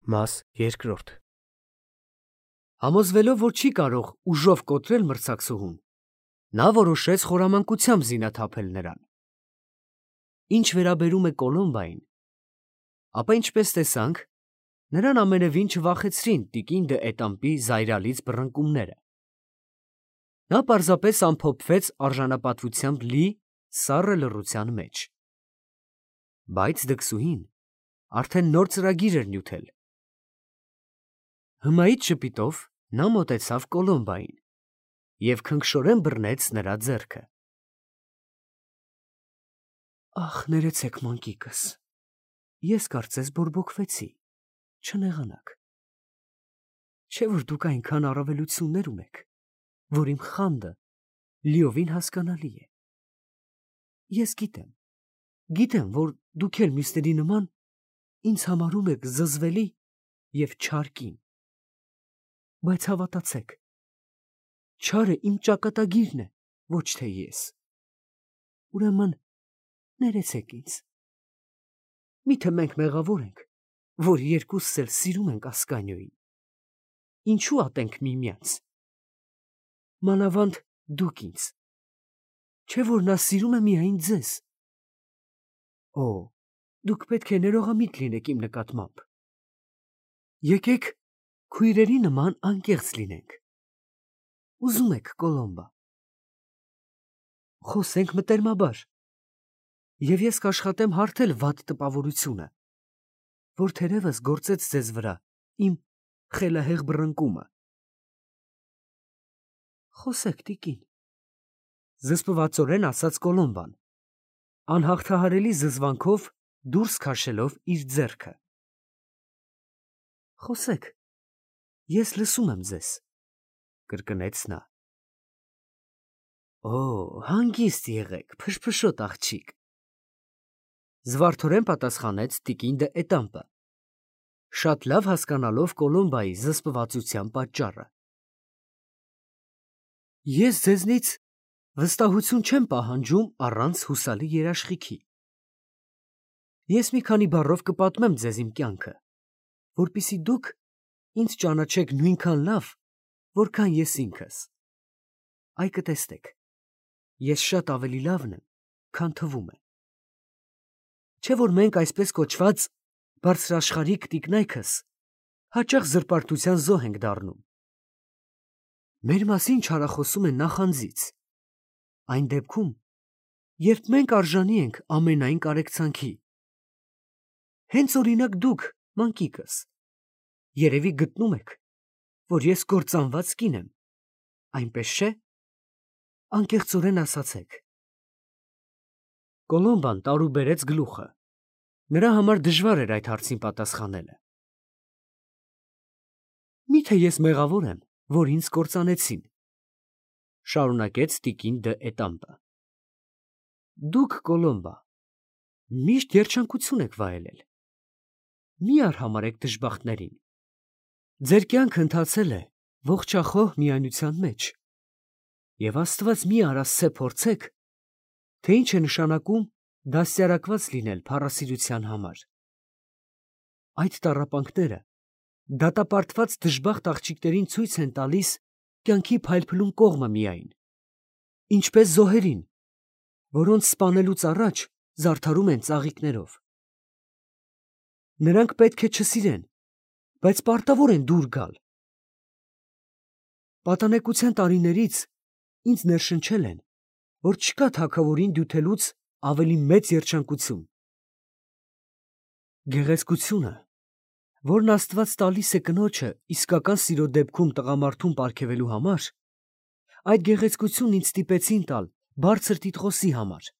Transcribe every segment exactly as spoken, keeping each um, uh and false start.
Մաս երկրորդ Համոզվելով, որ չի կարող ուժով կոտրել մրցակցուհուն, նա որոշեց խորամանկությամբ զինաթափել նրան։ Ինչ վերաբերում է Կոլոմբային, ապա ինչպես տեսանք, նրան ամենևին չվախեցրին տիկին դը Էտամպի զայրալից բռնկումները։ Նա պարզապես ամփոփվեց արժանապատվությամբ լի սառը լռության մեջ։ Բայց դքսուհին արդեն նոր ծրագիր էր նյութել։ Հմայիտ ժպիտով նա մոտեցավ Կոլոմբային և քնքշորեն բռնեց նրա ձեռքը։ Ախ, ներեցեք, մանկիկս, ես կարծես բորբոքվեցի, չնեղանաք։ Չէ՞ որ դուք այնքան առավելություններ ունեք, որ իմ խանդը լիովին հասկանալի է։ Ես գիտեմ, գիտեմ, որ դուք էլ մյուսների նման ինձ համարում եք զզվելի և չար կին։ Բայց հավատացեք, չարը իմ ճակատագիրն է, ոչ թե ես։ Ուրեմն ներեցեք ինձ։ Միթե մենք մեղավոր ենք, որ երկուսս էլ սիրում ենք Ասկանիոյին։ Ինչու ատենք միմյանց։ Մանավանդ դուք ինձ, չէ՞ որ նա սիրում է միայն ձեզ։ Օ, դուք պետք է ներողամիտ լինեք իմ նկատմամբ։ Եկեք քույրերի նման անկեղծ լինենք։ Ուզում եք Կոլոմբա։ Խոսենք մտերմաբար, և ես կաշխատեմ հարթել վատ տպավորությունը, որ թերևս գործեց ձեզ վրա իմ խելահեղ բռնկումը։ Խոսեք, տիկին, զսպվածորեն ասաց Կոլոմբան, անհաղթահարելի զզվանքով դուրս քաշելով իր ձեռքը։ Խոսեք, ես լսում եմ ձեզ, կրկնեց նա։ Օ, հանգիստ եղեք, փշփշոտ աղջիկ, զվարթորեն պատասխանեց տիկին դը Էտամպը, շատ լավ հասկանալով Կոլոմբայի զսպվածության պատճառը։ Ես ձեզնից վստահություն չեմ պահանջում առանց հուսալի երաշխիքի։ Ես մի քանի բառով կպատմեմ ձեզ իմ կյանքը, որպեսզի դուք ինձ ճանաչեք նույնքան լավ, որքան ես ինքս։ Այ կտեսնեք, ես շատ ավելի լավն եմ, քան թվում է։ Չէ՞ որ մենք այսպես կոչված բարձրաշխարհիկ տիկնայքս հաճախ զրպարտության զոհ ենք դառնում։ Մեր մասին չարախոսում են նախանձից, այն դեպքում, երբ մենք արժանի ենք ամենայն կարեկցանքի։ Հենց օրինակ դուք, մանկիկս, երևի գտնում եք, որ ես կործանված կին եմ, այնպես չէ՞։ Անկեղծորեն ասացեք։ Կոլոմբան տարուբերեց գլուխը։ Նրա համար դժվար էր այդ հարցին պատասխանելը։ Միթե ես մեղավոր եմ, որ ինձ կործանեցին, շարունակեց տիկին դը Էտամպը։ Դուք, Կոլոմբա, միշտ երջանկություն եք վայելել։ Մի արհամարհեք դժբախտներին։ Ձեր կյանքը ընթացել է ողջախոհ միայնության մեջ, և Աստված մի արասցե փորձեք, թե ինչ է նշանակում դաստիարակված լինել փառասիրության համար։ Այդ տառապանքները դատապարտված դժբախտ աղջիկներին ցույց են տալիս կյանքի փայլփլուն կողմը միայն, ինչպես զոհերին, որոնց սպանելուց առաջ զարդարում են ծաղիկներով։ Նրանք պետք է չսիրեն, բայց պարտավոր են դուր գալ։ Պատանեկության տարիներից ինձ ներշնչել են, որ չկա թագավորին դյութելուց ավելի մեծ երջանկություն։ Գեղեցկությունը, որն Աստված տալիս է կնոջը իսկական սիրո դեպքում տղամարդուն պարգևելու համար, այդ գեղեցկությունն ինձ ստիպեցին տալ բարձր տիտղոսի համար։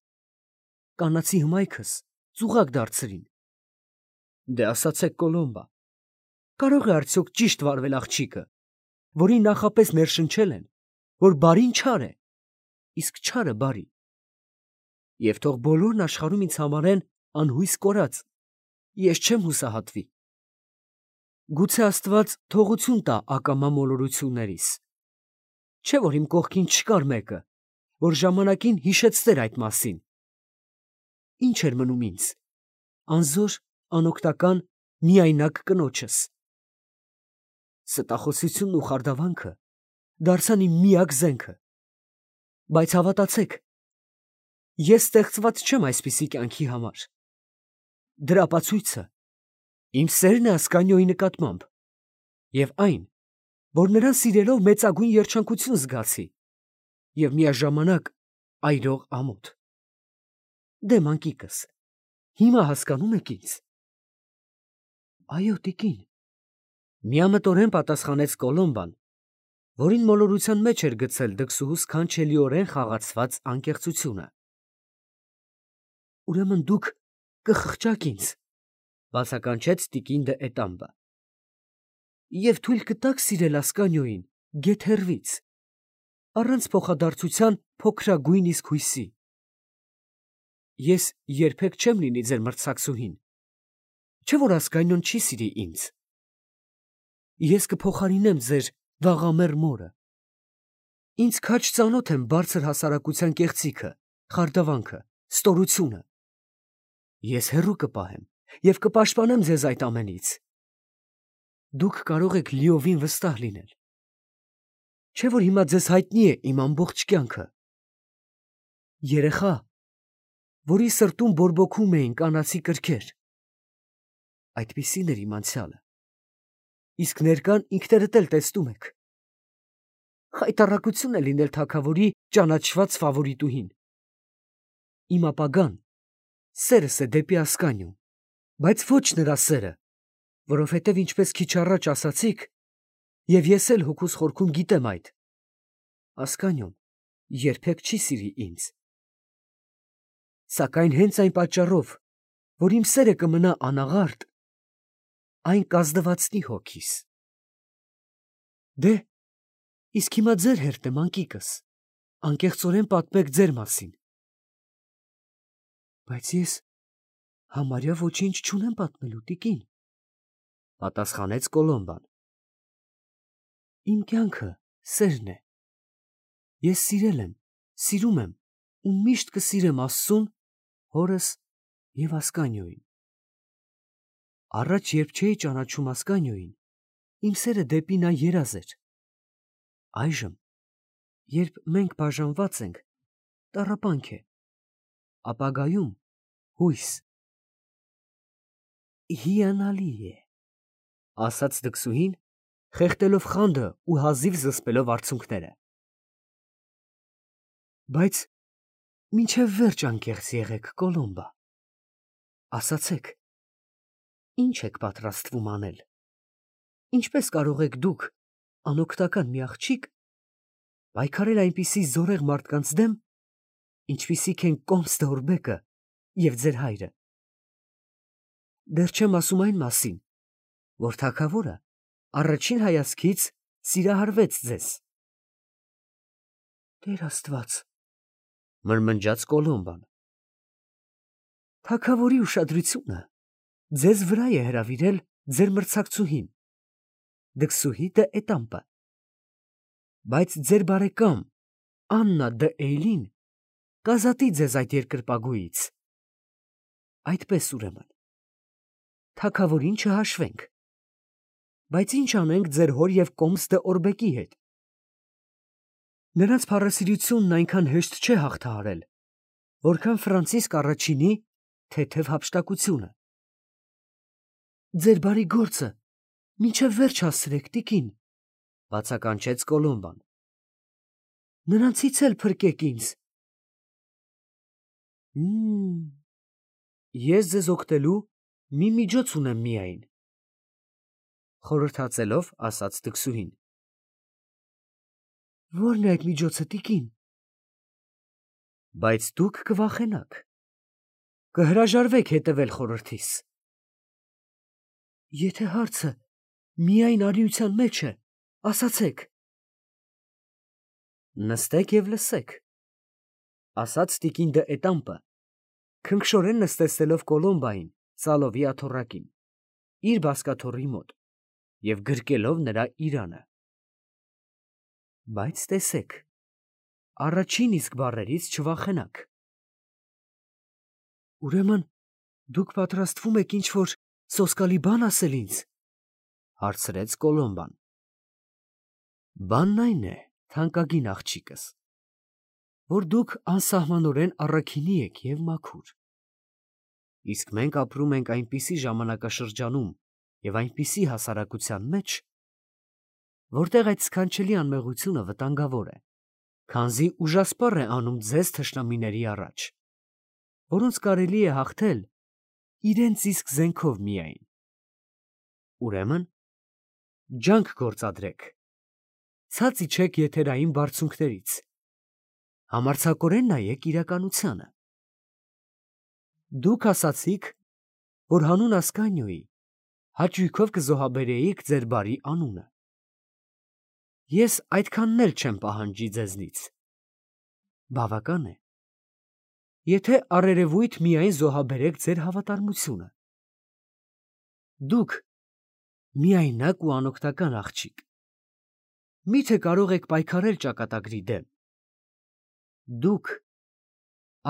Կանացի հմայքս ծուղակ դարձրին։ Դե ասացեք, Կոլոմբա, կարող է արդյոք ճիշտ վարվել աղջիկը, որին նախապես ներշնչել են, որ բարին չար է, իսկ չարը բարի։ Եվ թող բոլորն աշխարհում ինձ համարեն անհույս կորած, ես չեմ հուսահատվի։ Գուցե Աստված թողություն տա ակամա մոլորություններիս։ Չէ՞ որ իմ կողքին չկար մեկը, որ ժամանակին հիշեցներ այդ մասին։ Ինչ էր մնում ինձ, անզոր, անօգնական, միայնակ կնոջս։ Ստախոսությունն ու խարդավանքը դարձան իմ միակ զենքը։ Բայց հավատացեք, ես ստեղծված չեմ այսպիսի կյանքի համար։ Դրա ապացույցը իմ սերն է Ասկանիոյի նկատմամբ և այն, որ նրան սիրելով մեծագույն երջանկություն զգացի և միաժամանակ այրող ամոթ։ Դե մանկիկս, հիմա հասկանում եք ինձ։ Այո, տիկին, միամտորեն պատասխանեց Կոլոմբան, որին մոլորության մեջ էր գցել դքսուհու սքանչելիորեն խաղացված անկեղծությունը։ Ուրեմն դուք կխղճաք ինձ, բացականչեց տիկին դը Էտամբը, և թույլ կտաք սիրել Ասկանիոյին գեթ հեռվից, առանց փոխադարձության փոքրագույն իսկ հույսի։ Ես երբեք չեմ լինի ձեր մրցակցուհին, չէ՞ որ Ասկանիոն չի սիրի ինձ։ Ես կփոխարինեմ ձեր վաղամեռ մորը։ Ինձ քաջ ծանոթ եմ բարձր հասարակության կեղծիքը, խարդավանքը, ստորությունը։ Ես հեռու կպահեմ և կպաշտպանեմ ձեզ այդ ամենից։ Դուք կարող եք լիովին վստահ լինել։ Չէ՞ որ հիմա ձեզ հայտնի է իմ ամբողջ կյանքը։ Երեխա, որի սրտում բորբոքում էին կանացի կրքեր։ Այդպիսին էր իմ անցյալը։ Իսկ ներկան ինքներդ էլ տեսնում եք։ Խայտառակություն է լինել թագավորի ճանաչված ֆավորիտուհին։ Իմ ապագան սերս է դեպի Ասկանիոն, բայց ոչ նրա սերը, որովհետև ինչպես քիչ առաջ ասացիք, և ես էլ հոգուս խորքում գիտեմ այդ, Ասկանիոն երբեք չի սիրի ինձ։ Սակայն հենց այն պատճառով, որ իմ սերը կմնա անաղարտ, այն կազդվածնի հոգիս։ Դե, իսկ հիմա ձեր հերթ է, մանկիկս, անկեղծորեն պատմեք ձեր մասին։ Բայց ես համարյա ոչինչ չունեմ պատմելու, տիկին, պատասխանեց Կոլոմբան։ Իմ կյանքը սերն է։ Ես սիրել եմ, սիրում եմ ու միշտ կսիրեմ Աստծուն, հորս և Ասկանիոյին։ Առաջ, երբ չէի ճանաչում Ասկանիոյին, իմ սերը դեպի նա երազ էր։ Այժմ, երբ մենք բաժանված ենք, տառապանք է, ապագայում հույս։ Հիանալի է, ասաց դքսուհին, խեղդելով խանդը ու հազիվ զսպելով արցունքները։ Բայց մինչև վերջ անկեղծ եղեք, Կոլոմբա։ Ասացեք, ի՞նչ եք պատրաստվում անել։ Ինչպես կարող եք դուք, անօգնական մի աղջիկ, պայքարել այնպիսի զորեղ մարդկանց դեմ, ինչպիսիք են Կոմս դե Օրբեկը և ձեր հայրը։ Դեռ չեմ ասում այն մասին, որ թագավորը առաջին հայացքից սիրահարվեց ձեզ։ Տեր Աստված, մրմնջաց Կոլոմբան։ Թագավորի ուշադրությունը ձեզ վրա է հրավիրել ձեր մրցակցուհին, դքսուհի դը Էտամպը։ Բայց ձեր բարեկամ Աննա դը Էյլին կազատի ձեզ այդ երկրպագուից։ Այդպես ուրեմն, թագավորին չհաշվենք։ Բայց ի՞նչ անենք ձեր հոր և Կոմս դը Օրբեկի հետ։ Նրանց փառասիրությունն այնքան հեշտ չէ հաղթահարել, որքան Ֆրանցիսկ առաջինի թեթև հափշտակությունը։ Ձեր բարի գործը մինչև վերջ հասցրեք, տիկին, բացականչեց Կոլոմբան։ Նրանցից էլ փրկեք ինձ։ Հմ, ես ձեզ օգնելու մի միջոց ունեմ միայն, խորհրդածելով ասաց դքսուհին։ Ո՞րն է այդ միջոցը, տիկին։ Բայց դուք կվախենաք, կհրաժարվեք հետևել խորհրդիս։ Եթե հարցը միայն արիության մեջ է, ասացեք։ Նստեք և լսեք, ասաց տիկին դը Էտամպը, քնքշորեն նստեցնելով Կոլոմբային ծալովի աթոռակին, իր բազկաթոռի մոտ և գրկելով նրա իրանը։ Բայց տեսեք, առաջին իսկ բառերից չվախենաք։ Ուրեմն դուք պատրաստվում եք ինչ֊որ սոսկալի բան ասել ինձ, հարցրեց Կոլոմբան։ Բանն այն է, թանկագին աղջիկս, որ դուք անսահմանորեն առաքինի եք և մաքուր։ Իսկ մենք ապրում ենք այնպիսի ժամանակաշրջանում և այնպիսի հասարակության մեջ, որտեղ այդ սքանչելի անմեղությունը վտանգավոր է, քանզի ուժասպառ է անում ձեզ թշնամիների առաջ, որոնց կարելի է հաղթել իրենց իսկ զենքով միայն։ Ուրեմն, ջանք գործադրեք, ցած իջեք եթերային բարձունքներից, համարձակորեն նայեք իրականությանը։ Դուք ասացիք, որ հանուն Ասկանիոյի հաճույքով կզոհաբերեիք ձեր բարի անունը։ Ես այդքանն էլ չեմ պահանջի ձեզնից։ Բավական է, եթե առերևույթ միայն զոհաբերեք ձեր հավատարմությունը։ Դուք միայնակ ու անօգնական աղջիկ, մի՞թե կարող եք պայքարել ճակատագրի դեմ։ Դուք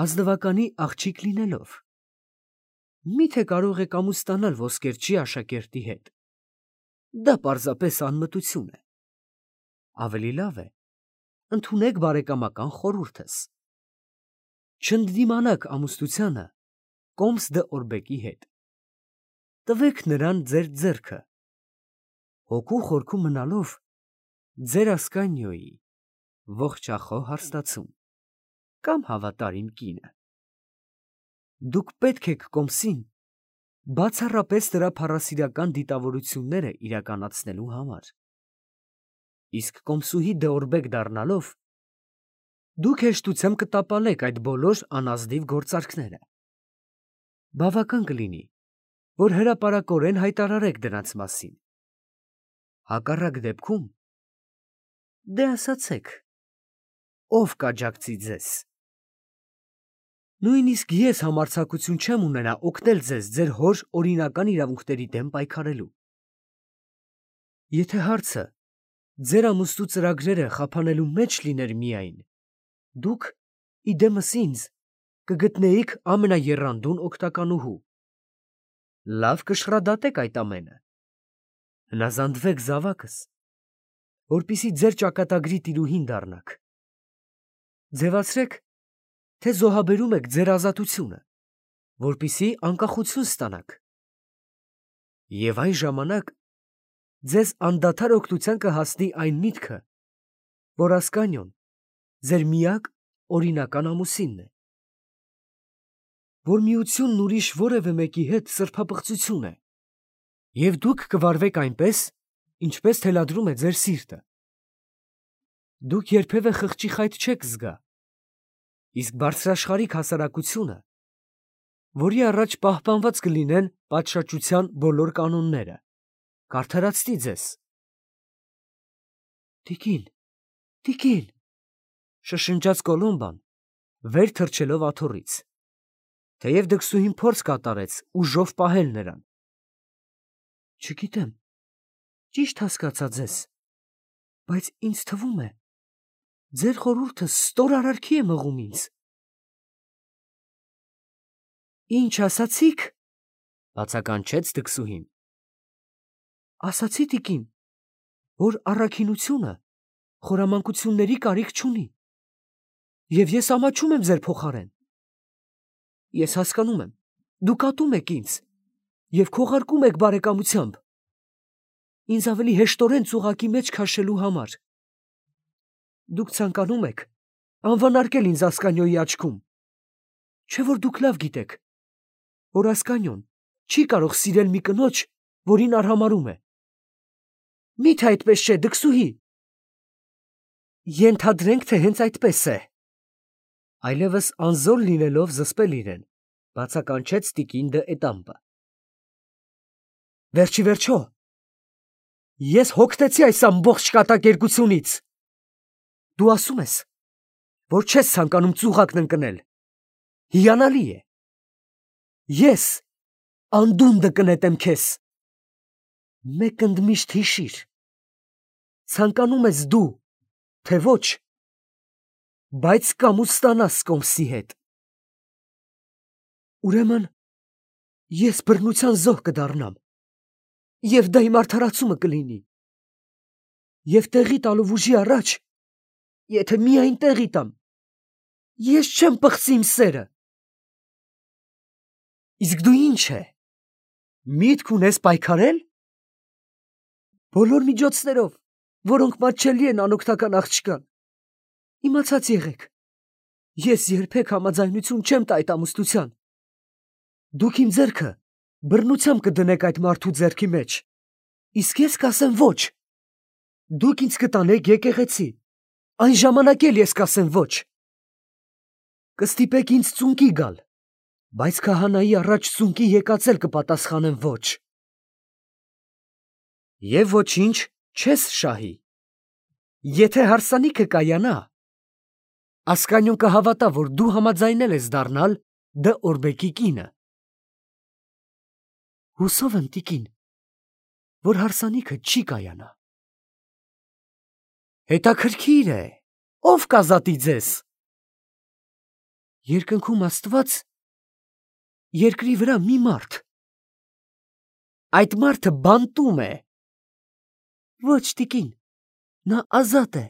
ազնվականի աղջիկ լինելով, մի՞թե կարող եք ամուսնանալ ոսկերչի աշակերտի հետ։ Դա պարզապես անմտություն է։ Ավելի լավ է, ընդունեք բարեկամական խորհուրդս։ Չընդդիմանաք ամուսնությանը Կոմս դը Օրբեկի հետ։ Տվեք նրան ձեր ձեռքը, հոգու խորքում մնալով ձեր Ասկանիոյի ողջախոհ հարստացում կամ հավատարիմ կինը։ Դուք պետք եք Կոմսին բացառապես նրա փառասիրական դիտավորությունները իրականացնելու համար։ Իսկ Կոմսուհի դե Օրբեկ դառնալով, դուք հեշտությամբ կտապալեք այդ բոլոր անազնիվ գործարքները։ Բավական կլինի, որ հրապարակորեն հայտարարեք դրանց մասին։ Հակառակ դեպքում, դե ասացեք, ով կաջակցի ձեզ։ Նույնիսկ ես համարձակություն չեմ ունենա օգնել ձեզ ձեր հոր օրինական իրավունքների դեմ պայքարելու։ Եթե հարցը ձեր ամուսնու ծրագրերը խափանելու մեջ լիներ միայն, դուք, իդեմս ինձ, կգտնեիք ամենաեռանդուն օգնականուհու։ Լավ կշռադատեք այդ ամենը, հնազանդվեք զավակս, որպեսզի ձեր ճակատագրի տիրուհին դառնաք։ Ձևացրեք, թե զոհաբերում եք ձեր ազատությունը, որպեսզի անկախություն ստանաք։ Եվ այն ժամանակ ձեզ անդադար օգնության կհասնի այն միտքը, որ Ասկանիոն ձեր միակ օրինական ամուսինն է, որ միությունն ուրիշ որևէ մեկի հետ սրբապղծություն է, և դուք կվարվեք այնպես, ինչպես թելադրում է ձեր սիրտը։ Դուք երբևէ խղճի խայտ չեք զգա, իսկ բարձրաշխարհիկ հասարակությունը, որի առաջ պահպանված կլինեն պատշաճության բոլոր կանոնները, կարդարացնի ձեզ։ Տիկին, տիկին, շշնջաց Կոլոմբան, վեր թռչելով աթոռից, թեև դքսուհին փորձ կատարեց ուժով պահել նրան։ Չգիտեմ, ճիշտ հասկացա ձեզ, բայց ինձ թվում է, ձեր խորհուրդը ստոր արարքի է մղում ինձ։ Ինչ ասացիք, բացականչեց դքսուհին։ Ասացի, տիկին, որ առաքինությունը խորամանկությունների կարիք չունի, և ես ամաչում եմ ձեր փոխարեն։ Ես հասկանում եմ, դուք ատում եք ինձ և քողարկում եք բարեկամությամբ, ինձ ավելի հեշտորեն ծուղակի մեջ քաշելու համար։ Դուք ցանկանում եք անվանարկել ինձ Ասկանիոյի աչքում, չէ՞ որ դուք լավ գիտեք, որ Ասկանիոն չի կարող սիրել մի կնոջ, որին արհամարհում է։ Մի՞թե այդպես չէ, դքսուհի։ Ենթադրենք, թե հենց այդպես է։ Այլևս անզոր լինելով զսպել իրեն, բացականչեց տիկին դը Էտամպը։ Վերջի վերջո, ես հոգնեցի այս ամբողջ կատակերգությունից։ Դու ասում ես, որ չես ցանկանում ծուղակն ընկնել։ Հիանալի է։ Ես անդունդը կնետեմ քեզ։ Մեկ ընդմիշտ հիշիր, ցանկանում ես դու, թե ոչ, բայց կամուստանաս Կոմսի հետ։ Ուրեմն ես բռնության զոհ կդառնամ, և դա իմ արդարացումը կլինի։ Եվ տեղի տալով ուժի առաջ, եթե միայն տեղի տամ, ես չեմ պղծի իմ սերը։ Իսկ դու ինչ է, միտք ունես պայքարել։ Բոլոր միջոցներով, որոնք մատչելի են անօգնական աղջկան, իմացած եղեք, ես երբեք համաձայնություն չեմ տա այդ ամուսնության։ Դուք իմ ձեռքը բռնությամբ կդնեք այդ մարդու ձեռքի մեջ, իսկ ես կասեմ ոչ։ Դուք ինձ կտանեք եկեղեցի, այն ժամանակ էլ ես կասեմ ոչ։ Կստիպեք ինձ ծունկի գալ, բայց քահանայի առաջ ծունկի եկած էլ կպատասխանեմ ոչ։ Եվ ոչինչ չես շահի։ Եթե հարսանիքը կայանա, Ասկանյոն կհավատա, որ դու համաձայնել ես դառնալ Դ. Օրբեկի կինը։ Հուսով եմ, տիկին, որ հարսանիքը չի կայանա։ Հետաքրքիր է, ով կազատի ձեզ։ Երկնքում Աստված, երկրի վրա մի մարդ։ Այդ մարդը բանտում է։ Ոչ, տիկին, նա ազատ է։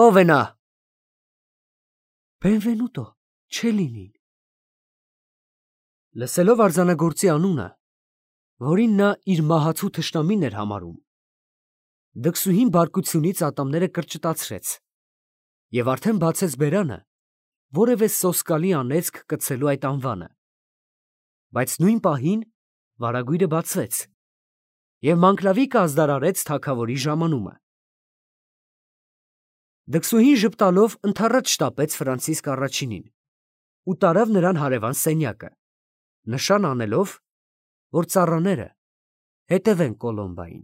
Ո՞վ է նա։ Բենվենուտո Չելինին։ Լսելով արձանագործի անունը, որին նա իր մահացու թշնամին էր համարում, դքսուհին բարկությունից ատամները կրճտացրեց և արդեն բացեց բերանը, որևէ սոսկալի անեծք կցելու այդ անվանը, բայց նույն պահին վարագույրը բացվեց և Մանկլավիկը ազդարարեց թագավորի ժամանումը։ Դքսուհին ժպտալով ընդառաջ շտապեց Ֆրանցիսկ առաջինին ու տարավ նրան հարևան սենյակը, նշան անելով, որ ծառաները հետևեն Կոլոմբային։